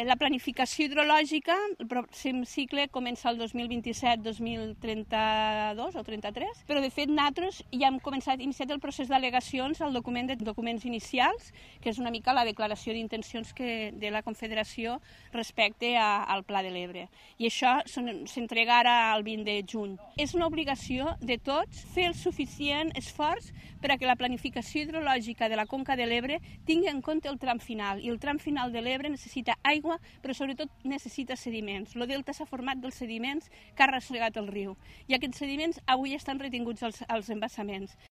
La planificació hidrològica, el pròxim cicle comença el 2027-2032 o 33, però de fet nosaltres ja hem iniciat el procés d'al·legacions al document de documents inicials, que és una mica la declaració d'intencions de la Confederació respecte al Pla de l'Ebre. I això s'entrega ara el 20 de juny. És una obligació de tots fer el suficient esforç per a que la planificació hidrològica de la Conca de l'Ebre tingui en compte el tram final, i el tram final de l'Ebre necessita aigua, però sobretot necessita sediments. El delta s'ha format dels sediments que ha arrossegat el riu, i aquests sediments avui estan retinguts als embassaments.